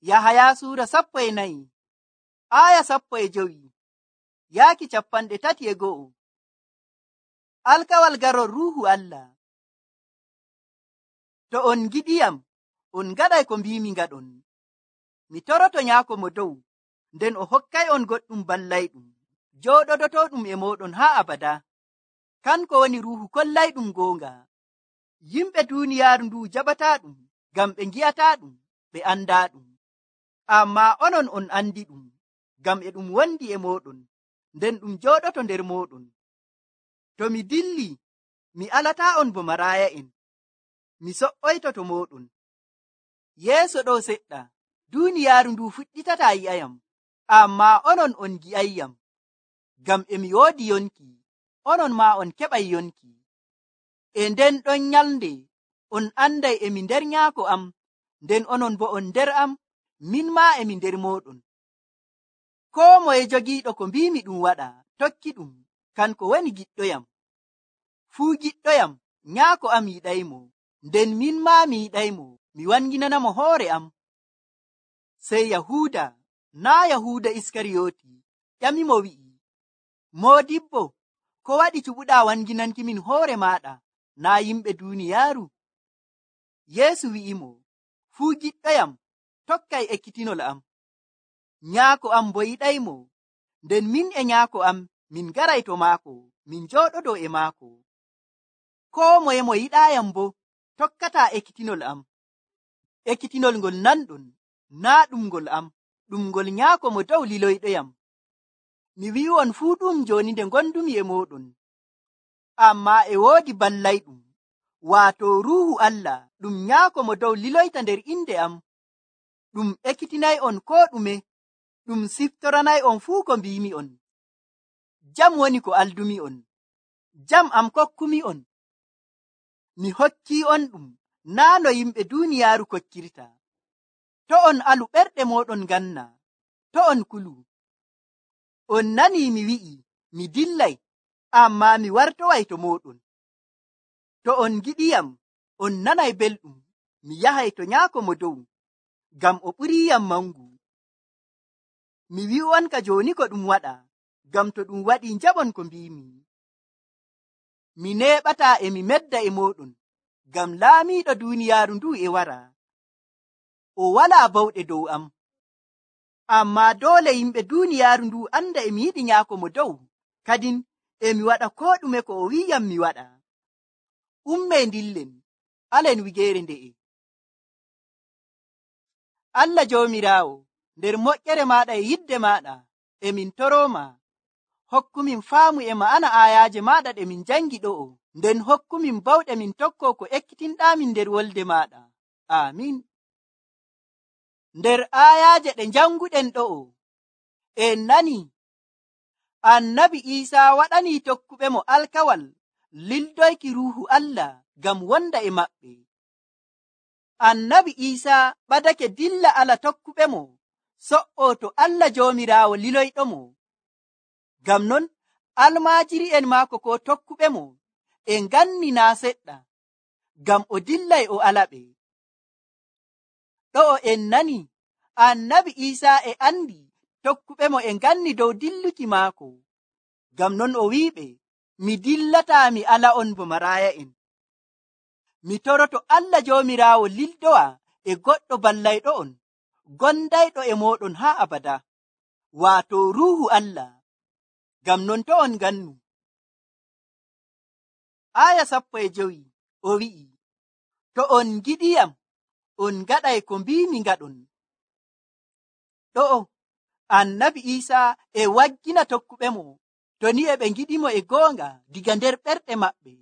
Yahaya suura 14 aya 15 yaaki 31. Alkawal garol ruuhu Allah. To on giɗiyam, on gaɗay ko mbimi ngaɗon. Mi toroto Nyaako Mo Dow, nden o hokkay on goɗɗum ballayɗum, jooɗodotoɗum e moɗon haa abada. Kanko woni ruuhu kollayɗum goonga. Yimɓe duuniyaaru ndu jaɓataɗum, ngam ɓe ngi'ataɗum, ɓe andaɗum. Ammaa onon on andi ɗum, ngam e ɗum wondi e moɗon, nden ɗum jooɗoto nder moɗon. To mi dilli, mi alataa on bo maraaya'en. Mi so'oyto to moɗon. Yeeso ɗo seɗɗa, duuniyaaru ndu fuɗɗitataa yi'ayam, ammaa onon on gi'ayyam. Ngam e mi woodi yonki, onon maa on keɓay yonki. E nden ɗon nyalnde, on anday emi nder Nyaako am, nden onon bo on nder am, min maa emi nder moɗon. Koo moye jogiiɗo ko mbimi ɗum waɗa, tokki ɗum, kanko woni giɗɗoyam. Fuu giɗɗoyam, Nyaako am yiɗaymo, nden min maa mi yiɗaymo, mi wanginanamo hoore am. Sey Yahuuda, naa Yahuuda Iskariyooti, ƴamimo wi'i, Moodibbo, ko waɗi cuɓuɗaa wanginanki min hoore maaɗa, naa yimɓe duuniyaaru? Yeesu wi'imo, fuu giɗɗoyam, tokkay ekkitinol am. Nyaako am bo yiɗaymo, nden min e Nyaako am min garay to maako, min jooɗodoo e maako. Koo moye mo yiɗaayam bo, tokkataa ekkitinol am. Ekkitinol ngol nanɗon, naa ɗum ngol am, ɗum ngol Nyaako Mo Dow liloyɗoyam. Mi wi'on fuu ɗum jooni nde gondumi e moɗon. Ammaa e woodi ballayɗum, waato Ruuhu Allah, ɗum Nyaako Mo Dow liloyta nder inde am. Ɗum ekkitinay'on koo ɗume, ɗum siftoranay'on fuu ko mbimi'on. Jam woni ko aldumi'on, jam am kokkumi'on. Mi hokki'on ɗum, naa no yimɓe duuniyaaru kokkirta. To on alu ɓerɗe moɗon ganna, to on kulu. On nanii mi wi'i, mi dillay, ammaa mi wartoway to moɗon. To on giɗiyam, on nanay belɗum, mi yahay to Nyaako Mo Dow, ngam o ɓuriyam mangu. Mi wi'on ka jooni ko ɗum waɗa, ngam to ɗum waɗi njaɓon ko mbimi. Mi neeɓataa e mi medda e moɗon, ngam laamiiɗo duuniyaaru ndu e wara. O walaa bawɗe dow am. Ammaa doole yimɓe duuniyaaru ndu anda e mi yiɗi Nyaako Mo Dow, kadin e mi waɗa koo ɗume ko o wi'yam mi waɗa. Ummee ndillen, alen wigeere nde'e. Allah Joomiraawo, nder moƴƴere maaɗa e yidde maaɗa, emin torooma, hokkumin faamu e ma'ana aayaaje maaɗa ɗe min jangi ɗo'o, nden hokkumin bawɗe min tokko ko ekkitinɗaamin nder wolde maaɗa. Aamin. Nder aayaaje ɗe janguɗen ɗo'o, en nani Annabi Iisaa waɗanii tokkuɓe mo alkawal lildoyki Ruuhu Allah ngam wonda e maɓɓe. Annabi Iisaa ɓadake dilla ala tokkuɓe mo, so'o to Allah Joomiraawo liloyɗo mo. Ngam non almaajiri'en maako ko tokkuɓe mo e nganni naa seɗɗa, ngam o dillay o alaɓe. Ɗo'o en nani Annabi Iisaa e andi tokkuɓe mo e nganni dow dilluki maako. Ngam non o wi'iɓe, mi dillataa mi ala on bo maraaya'en. Mi toroto Allah Joomiraawo lildowa e goɗɗo ballayɗo on, gondayɗo e moɗon haa abada, waato Ruuhu Allah. Ngam non to on gannu. Aya 15 o wi'i, to on giɗiyam, on gaɗay ko mbimi ngaɗon. Ɗo'o Annabi Iisaa e waggina tokkuɓe mo, to ni e ɓe ngiɗimo e goonga diga nder ɓerɗe maɓɓe,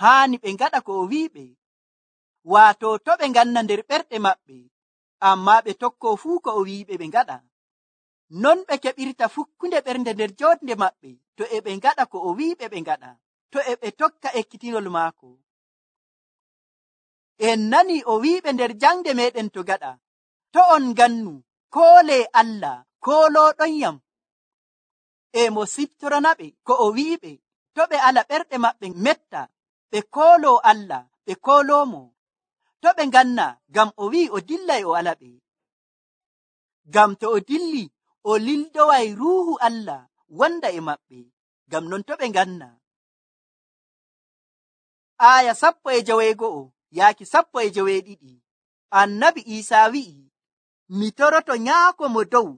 haani ɓe ngaɗa ko o wi'iɓe. Waato to ɓe nganna nder ɓerɗe maɓɓe, ammaa ɓe tokko fuu ko o wi'iɓe ɓe ngaɗa. Non ɓe keɓirta fukkunde ɓernde nder jootnde maɓɓe, to e ɓe ngaɗa ko o wi'iɓe ɓe ngaɗa, to e ɓe tokka ekkitinol maako. En nani o wi'iɓe nder jangde meɗen to gaɗa, to on gannu, koolee Allah, koolooɗonyam. E mo siftoranaɓe ko o wi'iɓe, to ɓe ala ɓerɗe maɓɓe metta, ɓe kooloo Allah, ɓe kooloomo. To ɓe nganna, ngam o wi'i o dillay o alaɓe. ngam to o dilli o lildoway ruuhu Allah wonda e maɓɓe, ngam non to ɓe nganna. Aya 11 yaaki 12. Annabi Isaa wi'i, mi toroto Nyaako mo dow,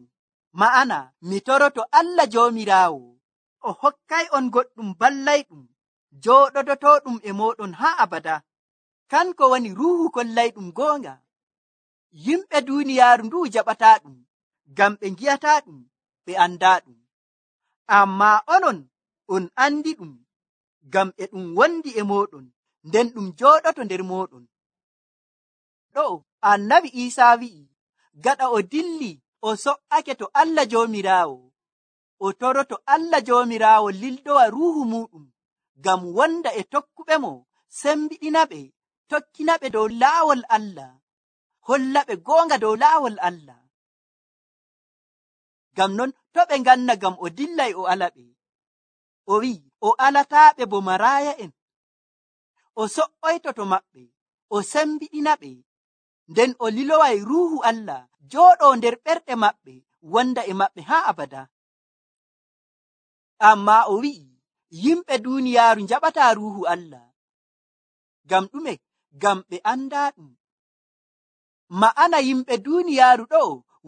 ma'ana mi toroto Allah Joomiraawo, o hokkay on goɗɗum ballayɗum jooɗodotoɗum e moɗon haa abada. Kanko woni ruuhu kollayɗum goonga. Yimɓe duuniyaaru ndu jaɓataaɗum, ngam ɓe ngi'ataaɗum, ɓe andaaɗum. Ammaa onon on andiɗum, ngam e ɗum wondi e moɗon, nden ɗum jooɗoto nder moɗon. Ɗo Annabi Isaa wi'i, gaɗa o dilli o so'ake to Allah Joomiraawo, o toroto Allah Joomiraawo lildowa ruuhu muɗum, ngam wonda e tokkuɓe mo, sembiɗinaɓe, tokkinaɓe dow laawol Allah, hollaɓe goonga dow laawol Allah. Ngam non to ɓe nganna, ngam o dillay o alaɓe. O wi'i o alataaɓe bo maraaya'en, o so'oytoto maɓɓe, o sembiɗinaɓe, nden o liloway ruuhu Allah jooɗo nder ɓerɗe maɓɓe, wonda e maɓɓe haa abada. Ammaa o wi'i yimɓe duuniyaaru njaɓataa ruuhu Allah. Ngam ɗume? Ngam ɓe andaaɗum. Ma'ana yimɓe duuniyaaru ɗo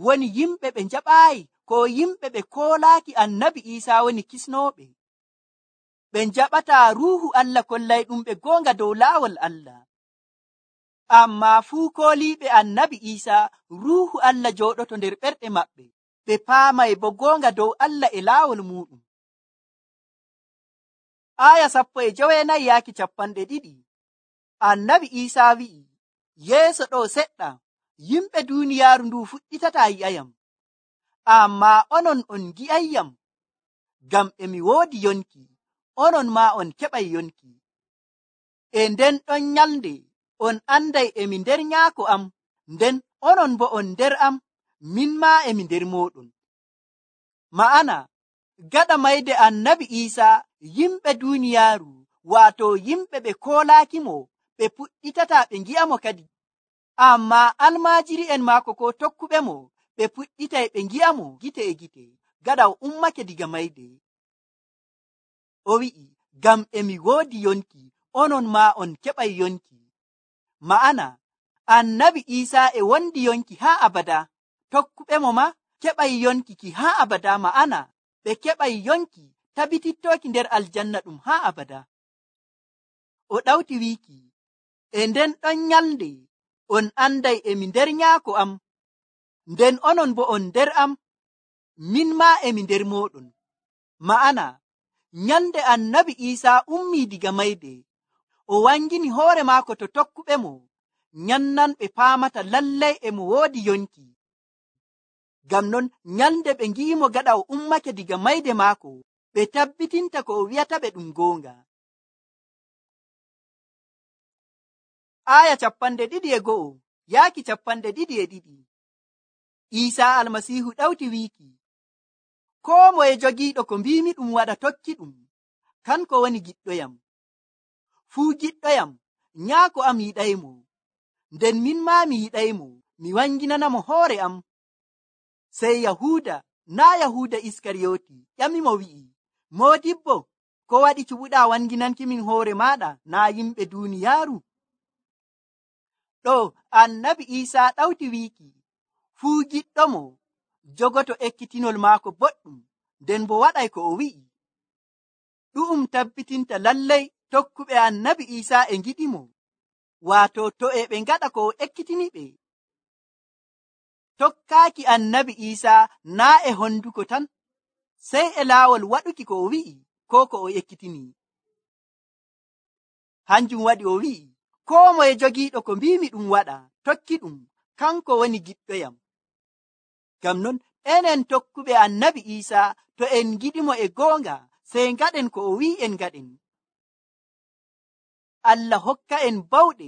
woni yimɓe ɓe njaɓaayi, ko yimɓe ɓe koolaaki Annabi Isaa woni kisnooɓe. Ɓe njaɓataa ruuhu Allah kollayɗum ɓe goonga dow laawol Allah. Ammaa fuu kooliiɓe Annabi Isaa, ruuhu Allah jooɗoto nder ɓerɗe maɓɓe, ɓe paamay bo goonga dow Allah e laawol muɗum. Aya 14 yaaki 20. Annabi Isaa wi'i, yeeso ɗo seɗɗa, yimɓe duuniyaaru ndu fuɗɗitataa yi'ayam, ammaa onon on ngi'ayyam, ngam e mi woodi yonki, onon maa on keɓay yonki. E nden ɗon nyalnde on anday emi nder Nyaako am, nden onon bo on nder am, min maa emi nder moɗon. Ma'ana gaɗa mayde Annabi Isaa, yimɓe duuniyaaru, waato yimɓe ɓe koolaakimo, ɓe puɗɗitataa ɓe ngi'amo kadi. Ammaa almaajiri'en maako ko tokkuɓe mo, ɓe puɗɗitay ɓe ngi'amo gite e gite, gaɗa o ummake diga mayde. O wi'i, ngam emi woodi yonki, onon maa on keɓay yonki. Ma'ana Annabi Isaa e wondi yonki haa abada, tokkuɓe mo ma keɓay yonki ki haa abada, ma'ana ɓe keɓay yonki tabitittooki nder aljanna ɗum haa abada. O ɗawti wiiki, e nden ɗon nyalnde on anday emi nder Nyaako am, nden onon bo on nder am, min maa emi nder moɗon. Ma'ana nyalnde Annabi Isaa ummii diga mayde, o wangini hoore maako to tokkuɓe mo, nyannanɓe paamata lallay emo woodi yonki. Ngam non nyalnde ɓe ngi'imo gaɗa o ummake diga mayde maako, ɓe tabbitinta ko o wi'ata ɓe ɗum goonga. Aya 21 yaaki 22. Isaa almasiihu ɗawti wiiki, koo moye jogiiɗo ko mbiimi ɗum waɗa tokki ɗum, kanko woni giɗɗoyam. Fuu giɗɗoyam, Nyaako am yiɗaymo, nden min maa mi yiɗaymo, mi wanginanamo hoore am. Sey Yahuuda, naa Yahuuda Iskariyooti, ƴamimo wi'i, Moodibbo, ko waɗi cuɓuɗaa wanginankimin hoore maaɗa, naa yimɓe duuniyaaru? Ɗo Annabi Isaa ɗawti wiiki, fuu giɗɗo mo jogoto ekkitinol maako boɗɗum, nden bo waɗay ko o wi'i. Ɗu'um tabbitinta lallay tokkuɓe Annabi Isaa e ngiɗimo, waato to e ɓe ngaɗa ko o ekkitini ɓe. Tokkaaki Annabi Isaa naa e honduko tan, sey e laawol waɗuki ko o wi'i, ko ko o ekkitini. Hanjum waɗi o wi'i, koo moye jogiiɗo ko mbiimi ɗum waɗa, tokki ɗum, kanko woni giɗɗoyam. Ngam non enen tokkuɓe Annabi Isaa, to en ngiɗimo e goonga, sey ngaɗen ko o wi'i en ngaɗen. Allah hokka en bawɗe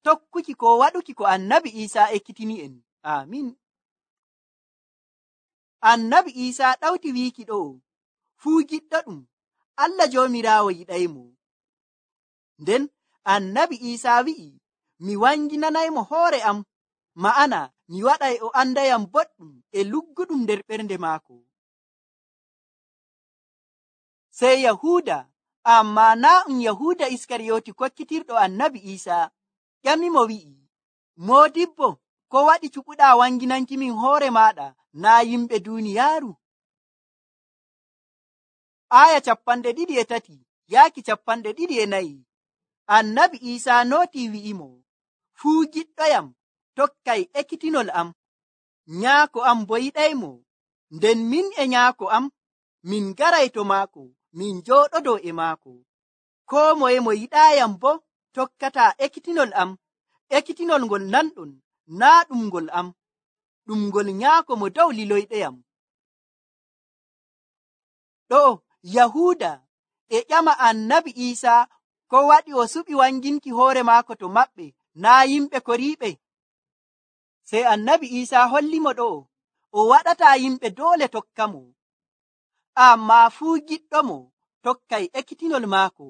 tokkuki ko waɗuki ko Annabi Isaa ekkitini en. Amin. Annabi Isaa ɗawti wiiki ɗo, fuu giɗɗo ɗum, Allah Joomiraawo yiɗaymo. Nden Annabi Isaa wi'i, mi wanginanaymo hoore am, ma'ana mi waɗay o andayam boɗɗum e lugguɗum nder ɓernde maako. Sey Yahuuda, amma naa Yahuuda Iskariyoti kokkitirɗo annabi Iisaa, ƴamimo wi'i, Moodibbo, ko waɗi cuɓuɗaa wanginankimin hoore maaɗa naa yimɓe duuniyaaru? Aya 23 yaaki 24. Annabi Iisaa nootii wi'imo, fuu giɗɗoyam tokkay ekkitinol am, nyaako am bo yiɗaymo, nden min e nyaako am min garay to maako, min jooɗodoo e maako. Koo moye mo yiɗaayam bo tokkataa ekkitinol am. Ekkitinol ngol nanɗon naa ɗum ngol am, ɗum ngol nyaako mo dow liloyɗoyam. Ɗo Yahuuda e ƴama annabi Iisaa ko waɗi o suɓi wanginki hoore maako to maɓɓe naa yimɓe koriiɓe. Sey annabi Iisaa hollimo ɗo o waɗataa yimɓe doole tokka mo, ammaa fuu giɗɗo mo tokkay ekkitinol maako.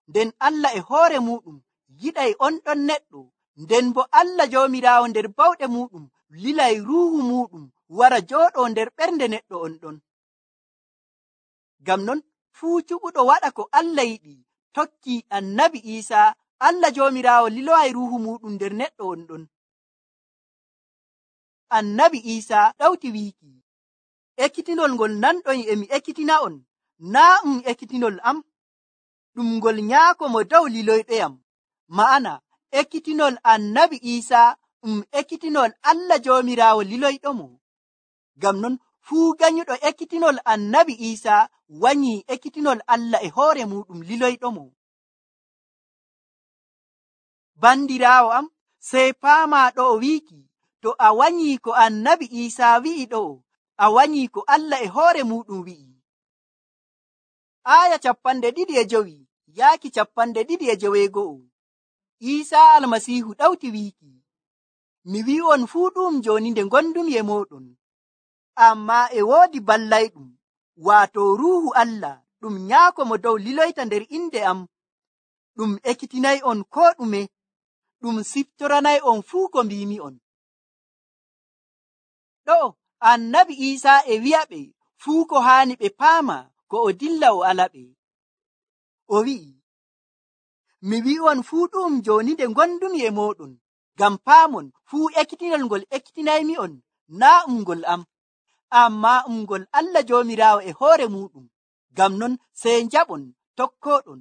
Nden Allah e hoore muɗum yiɗay on ɗon neɗɗo, nden bo Allah Joomiraawo nder bawɗe muɗum lilay ruuhu muɗum wara jooɗoo nder ɓernde neɗɗo on ɗon. Ngam non fuu cuɓuɗo waɗa ko Allah yiɗi tokki annabi Iisaa, Allah Joomiraawo liloay ruuhu muɗum nder neɗɗo on ɗon. Annabi Iisaa ɗawti wiiki, ekkitinol ngol nanɗon emi ekkitina on, naa ekkitinol am, ɗum ngol nyaako mo dow liloyɗoyam. Ma'ana ekkitinol annabi Iisaa ekkitinol Allah Joomiraawo liloyɗo mo. Ngam non fuu ganyuɗo ekkitinol annabi Iisaa wanyii ekkitinol Allah e hoore muɗum liloyɗo mo. Bandiraawo am, sey paamaa ɗo o wiiki, to a wanyii ko annabi Iisaa wi'i ɗo, a wanyii ko Allah e hoore muɗum wi'i. Aya 25 yaaki 25. Iisaa Almasiihu ɗawti wiiki, mi wi'on fuu ɗum jooni nde gondumi e mooɗon, ammaa e woodi ballayɗum, waato Ruuhu Allah, ɗum nyaako mo dow liloyta nder inde am. Ɗum ekkitinay on koo ɗume, ɗum siftoranay on fuu ko mbimi on. Ɗo annabi Iisaa e wi'a ɓe fuu ko haani ɓe paama ko o dilla o alaɓe. O wi'i, mi wi'on fuu ɗum jooni nde gondumi e mooɗon, ngam paamon fuu ekkitinol ngol ekkitinaymi on naa ngol am, ammaa ngol Allah Joomiraawo e hoore muɗum. Ngam non sey njaɓon tokkooɗon.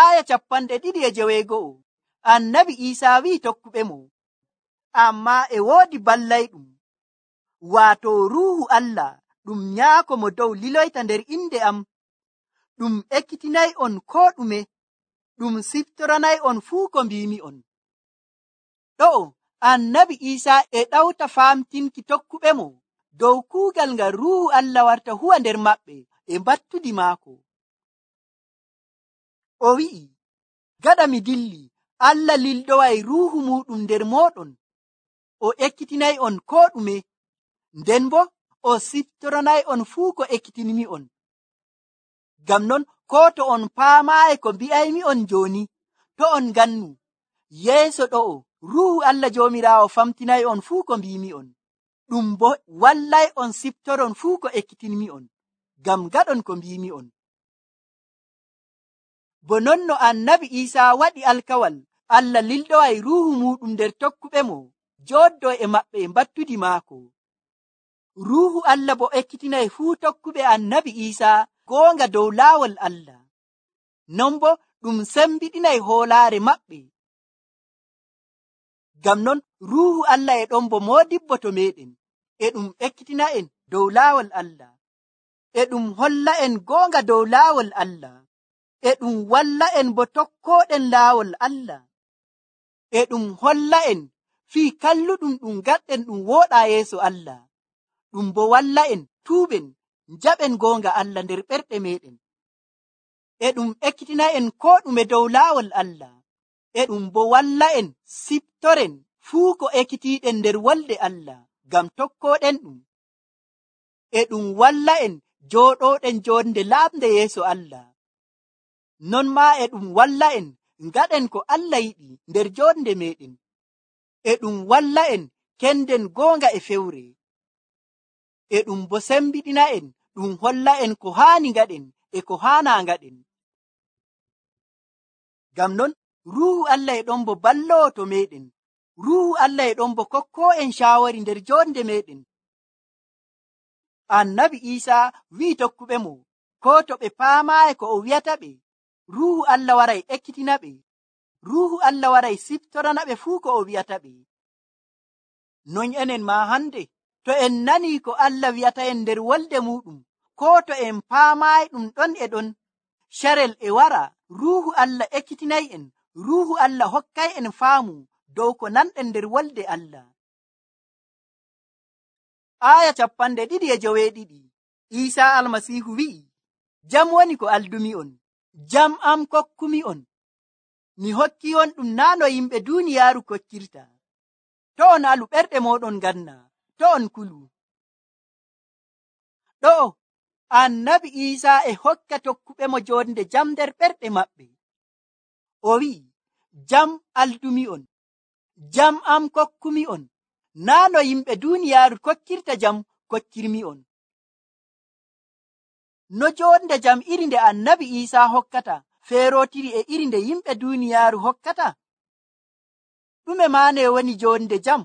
Aya 26 annabi Iisaa wi'i tokkuɓe mo, ammaa e woodi ballayɗum, waato Ruuhu Allah, ɗum nyaako mo dow liloyta nder inde am. Ɗum ekkitinay on koo ɗume, ɗum siftoranay on fuu ko mbimi on. Ɗo annabi Iisaa e ɗawta famtinki tokkuɓe mo dow kuugal ngal Ruuhu Allah warta huwa nder maɓɓe e mbattudi maako. O wi'i, gaɗa mi dilli, Allah lilɗoway Ruuhu muɗum nder mooɗon, o ekkitinay on koo ɗume, nden bo o siftoranay on fuu ko ekkitinmi on. Ngam non koo to on paamaayi ko mbi'aymi on jooni, to on gannu yeeso ɗo'o Ruuhu Allah Joomiraawo famtinay on fuu ko mbimi on, ɗum bo wallay on siftoron fuu ko ekkitinmi on, ngam gaɗon ko mbimi on. Bo non no annabi Iisaa waɗi alkawal, Allah lilɗoway Ruuhu muɗum nder tokkuɓe mo, jooɗdo e maɓɓe e mbattudi maako. Ruuhu Allah bo ekkitinay fuu tokkuɓe annabi Iisaa goonga dow laawol Allah. Non bo ɗum sembiɗinay hoolaare maɓɓe. Ngam non Ruuhu Allah e ɗon bo moodibbo to meɗen, e ɗum ekkitina en dow laawol Allah, e ɗum holla en goonga dow laawol Allah, e ɗum walla en bo tokkooɗen laawol Allah, e ɗum holla en fii kalluɗum ɗum gaɗɗen ɗum wooɗaa yeeso Allah, ɗum bo walla en tuuɓen njaɓen goonga Allah nder ɓerɗe meɗen, e ɗum ekkitina en koo ɗume dow laawol Allah, e ɗum bo walla en siftoren fuu ko ekkitiiɗen nder wolde Allah ngam tokkooɗen ɗum, e ɗum walla en jooɗooɗen joonde laaɓnde yeeso Allah. Non maa e ɗum walla en ngaɗen ko Allah yiɗi nder joonde meɗen, e ɗum walla en kenden goonga e fewre, e ɗum bo sembiɗina en, ɗum holla en ko haani ngaɗen e ko haana ngaɗen. Ngam non Ruuhu Allah e ɗon bo ballowo to meɗen. Ruuhu Allah e ɗon bo kokko en shaawari nder jonde meɗen. Annabi Iisaa wi'i tokkuɓe mo, ko to ɓe paamaayi ko o wi'ata ɓe, Ruuhu Allah waray ekkitina ɓe. Ruuhu Allah waray siftorana ɓe fuu ko o wi'ata ɓe. Non enen ma hande, to en nani ko Allah wi'ata en nder wolde muɗum, ko to en paamaayi ɗum ɗon e ɗon, sharel e wara, Ruuhu Allah ekkitinay en, Ruuhu Allah hokkay en faamu dow ko nanɗen nder wolde Allah. Aya 2:2 Iisaa Almasiihu wi'i, jam woni ko aldumi on, jam am kokkumi on. Mi hokki on ɗum naa no yimɓe duuniyaaru kokkirta. To on alu ɓerɗe moɗon ganna, to on kulu. Ɗo Annabi Iisaa e hokka tokkuɓe mo jonde jam nder ɓerɗe maɓɓe. O wi'i, jam aldumi on, jam am kokkumi on, naa no yimɓe duuniyaaru kokkirta jam kokkirmi on. No jonde jam iri nde Annabi Iisaa hokkata feerotiri e iri nde yimɓe duuniyaaru hokkata? Ɗume maane woni jonde jam?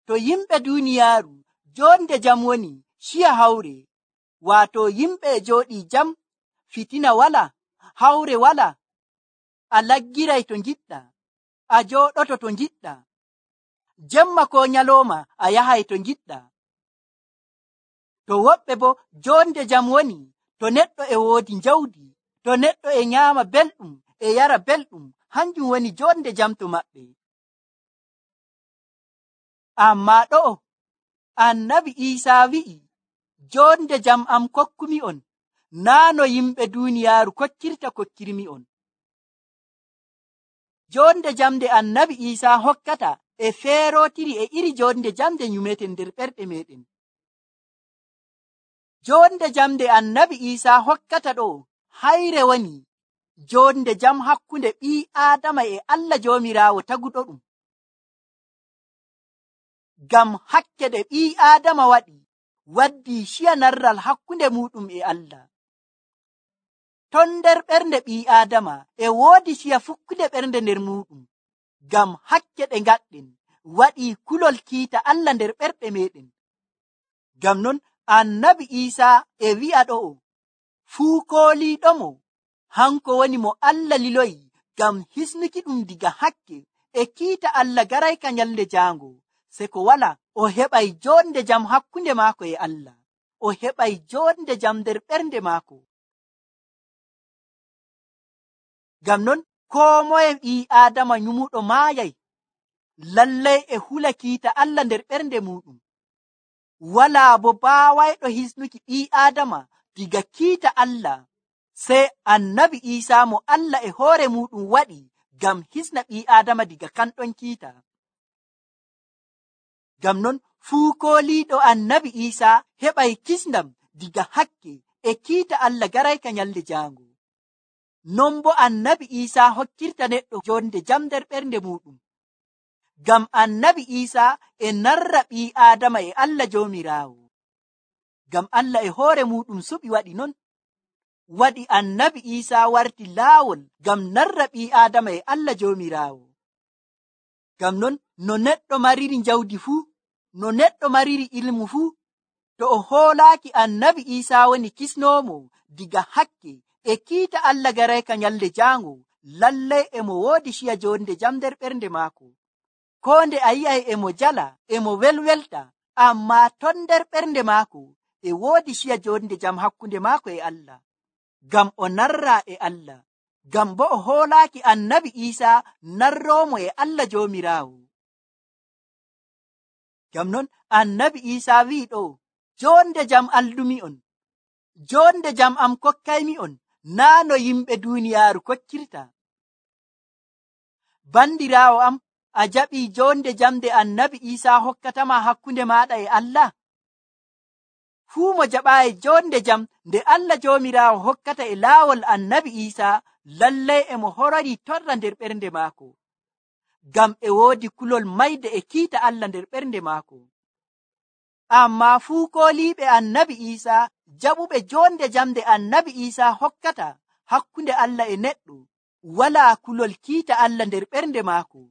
To yimɓe duuniyaaru jonde jam woni shiya hawre, waato yimɓe jooɗi jam, fitina wala, hawre wala, a laggiray to ngiɗɗa, a jooɗoto to ngiɗɗa, jemma ko nyalooma a yahay to ngiɗɗa. To woɓɓe bo jonde jam woni to neɗɗo e woodi njawdi, to neɗɗo e nyaama belɗum e yara belɗum, hanjum woni jonde jam to maɓɓe. Amma ɗo Annabi Iisaa wi'i, jonde jam am kokkumi on, naa no yimɓe duuniyaaru kokkirmi on. Jonde jam nde Annabi Iisaa hokkata e feerotiri e iri jonde jam nde nyumeten nder ɓerɗe meɗen. Jonde jam nde Annabi Iisaa hokkata ɗo hayre woni jonde jam hakkunde ɓii Aadama e Allah Joomiraawo taguɗo ɗum. Ngam hakke ɗe ɓii Aadama waɗi, waddi shiya narral hakkunde muɗum e Allah. Ton nder ɓernde ɓii Aadama e woodi shiya fukkude ɓernde nder muɗum. Ngam hakke ɗe ngaɗɗen waɗi kulol kiita Allah nder ɓerɗe meɗen. Ngam non Annabi Iisaa e wi'a ɗo, fuu kooliiɗomo hanko woni mo Allah liloyi ngam hisnuki ɗum diga hakke e kiita Allah garayka nyalde jaango, se ko wala o heɓay jonde jam hakkunde maako e Allah, o heɓay jonde jam nder ɓernde maako. Ngam non koo moye ɓii Aadama nyumuɗo maayay, lallay e hula kiita Allah nder ɓernde muɗum. Walaa bo baawayɗo hisnuki ɓii Aadama diga kiita Allah, sai Annabi Iisaa mo Allah e hoore muɗum waɗi ngam hisna ɓii Aadama diga kanɗon kiita. Ngam non fuu kooliiɗo Annabi Iisaa heɓay kisndam diga hakke e kiita Allah garayka nyalde jaango. Non bo Annabi Iisaa hokkirta neɗɗo jonde jam nder ɓernde muɗum. Ngam Annabi Iisaa e narra ɓii Aadama e Allah Joomiraawo. Ngam Allah e hoore muɗum suɓi waɗi non, waɗi Annabi Iisaa warti laawol ngam narra ɓii Aadama e Allah Joomiraawo. Ngam non no neɗɗo mariri njawdi fuu, no neɗɗo mariri ilmu fuu, to o hoolaaki Annabi Iisaa woni kisnoomo diga hakke e kiita Allah garayka nyalde jaango, lallay emo woodi shiya jonde jam nder ɓernde maako. Koo nde a yi'ay emo jala, emo welwelta, amma ton nder ɓernde maako e woodi shiya jonde jam hakkunde maako e Allah, ngam o narra e Allah, ngam bo o hoolaaki Annabi Iisaa narroomo e Allah Joomiraawo. Ngam non Annabi Iisaa wi'i ɗo, jonde jam aldumi on, jonde jam am kokkaymi on, naa no yimɓe duuniyaaru kokkirta. Bandiraawo am, a jaɓii jonde jam nde Annabi Iisaa hokkatama hakkunde maaɗa e Allah? Fuu mo jaɓaayi jonde jam nde Allah Joomiraawo hokkata e laawol Annabi Iisaa, lallay emo horori torra nder ɓernde maako. ngam e woodi kulol mayde e kiita Allah nder ɓernde maako. Amma fuu kooliiɓe annabi Iisaa, jaɓuɓe jonde jam nde annabi Iisaa hokkata hakkunde Allah e neɗɗo, walaa kulol kiita Allah nder ɓernde maako.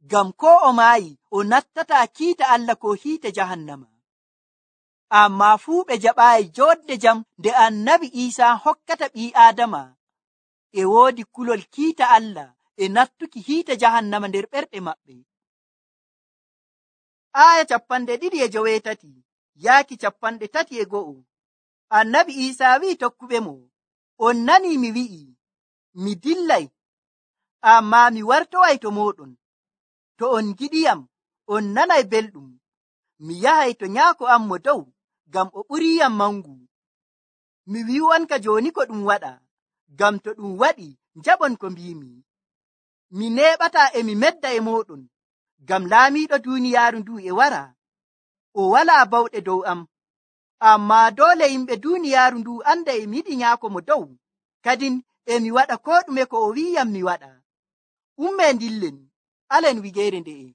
Ngam ko o maayi o nattataa kiita Allah ko hiite jahannama. Amma fuu ɓe jaɓaayi jonde jam nde annabi Iisaa hokkata ɓii Aadama, e woodi kulol kiita Allah e nattuki hiite jahannama nder ɓerɗe maɓɓe. Aya 2:30 yaaki 31. Annabi Iisaa wi'i tokkuɓe mo, on nanii mi wi'i, mi dillay, amma mi wartoway to mooɗon. To on giɗiyam, on nanay belɗum. Mi yahay to nyaako am mo dow, ngam o ɓuriyam mangu. Mi wi'u'onka jooni ko ɗum waɗa, ngam to ɗum waɗi njaɓon ko mbimi. Mi neeɓataa e mi medda e mooɗon, ngam laamiiɗo duuniyaaru ndu e wara. O walaa bawɗe dow am, amma doole yimɓe duuniyaaru ndu anda e mi yiɗi nyaako mo dow, kadin e mi waɗa ko ɗume ko o wi'iyam mi waɗa. Ummee ndillen, alen wigeere nde'e.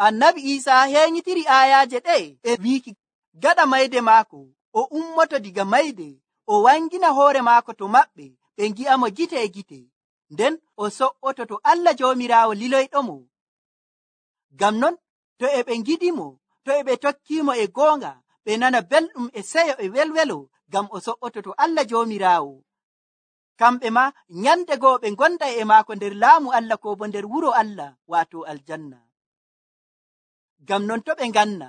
Annabi Iisaa heeñitiri aayaaje ɗe e wiiki gaɗa mayde maako o ummoto diga mayde, o wangina hoore maako to maɓɓe, ɓe ngi'amo gite e gite, nden o so'oto to Allah Joomiraawo liloyɗomo. Ngam non to e ɓe ngiɗimo, to e ɓe tokkimo e goonga, ɓe nana belɗum e seyo e welwelo, ngam o so'oto to Allah Joomiraawo. Kamɓe ma nyande goo ɓe gonda e maako nder laamu Allah ko bo nder wuro Allah, waato aljanna. Ngam non to ɓe nganna,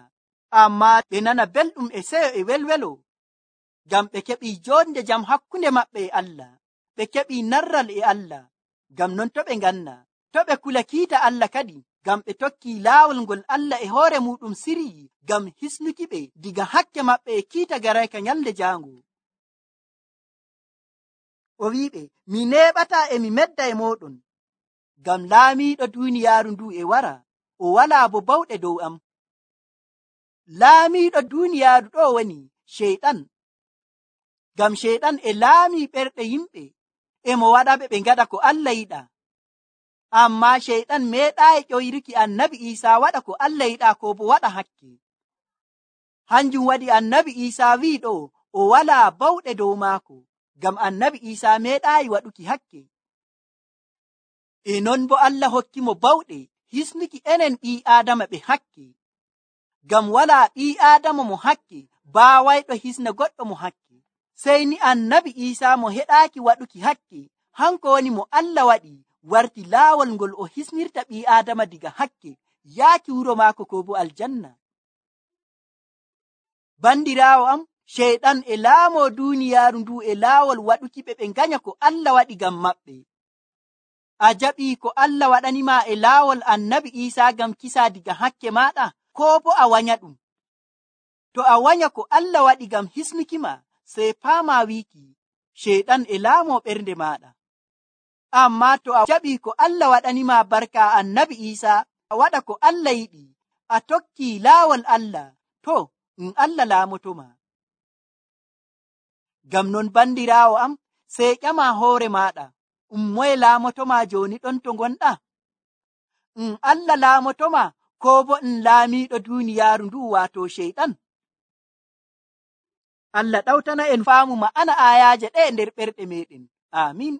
amma ɓe nana belɗum e seyo e welwelo, ngam ɓe keɓi jonde jam hakkunde maɓɓe e Allah, ɓe keɓi narral e Allah. Ngam non to ɓe nganna, to ɓe kula kiita Allah kadi, ngam ɓe tokki laawol ngol Allah e hoore muɗum siryi ngam hisnuki ɓe diga hakke maɓɓe e kiita garayka nyalde jaango. O wiɓe, mi neeɓataa e mi medda e mooɗon, ngam laamiiɗo duuniyaaru ndu e wara, o walaa bo bawɗe dow am. Laamiiɗo duuniyaaru ɗo woni Sheyɗan, ngam Sheyɗan e laamii ɓerɗe yimɓe, e mo waɗaɓe ɓe ngaɗa ko Allah yiɗa. Amma Sheyɗan meeɗaayi ƴoyruki annabi Iisaa waɗa ko Allah yiɗa ko bo waɗa hakke. Hanjum waɗi annabi Iisaa wi'i ɗo o walaa bawɗe dow maako, ngam annabi Iisaa meeɗaayi waɗuki hakke. E non bo Allah hokki mo bawɗe hisnuki enen ɓii Aadama ɓe hakke, ngam walaa ɓii Aadama mo hakke baawayɗo hisna goɗɗo mo hakke, sey ni annabi Iisaa mo heɗaaki waɗuki hakke, hanko woni mo Allah waɗi warti laawol ngol o hisnirta ɓii Aadama diga hakke yaaki wuro maako ko bo aljanna. Bandiraawo am, Sheyɗan e laamo duuniyaaru ndu e laawol waɗuki ɓe nganya ko Allah waɗi ngam maɓɓe. A jaɓii ko Allah waɗanima e laawol annabi Iisaa ngam kisa diga hakke maaɗa, ko bo a wanya ɗum? To a wanya ko Allah waɗi ngam hisnuki ma, sey paama wiiki Sheyɗan e laamo ɓernde maaɗa. Amma to a jaɓii ko Allah waɗanima barka annabi Iisaa, a waɗa ko Allah yiɗi, a tokki laawol Allah, to Allah laamotoma. Ngam non bandiraawo am, sey ƴama hoore maaɗa, moye laamotoma jooni ɗon to ngonɗa? Allah laamotoma ko bo laamiiɗo duuniyaaru ndu waato Sheyɗan? Allah ɗawtana en faamu ma'ana ayaaje ɗe nder ɓerɗe meɗen. Amin.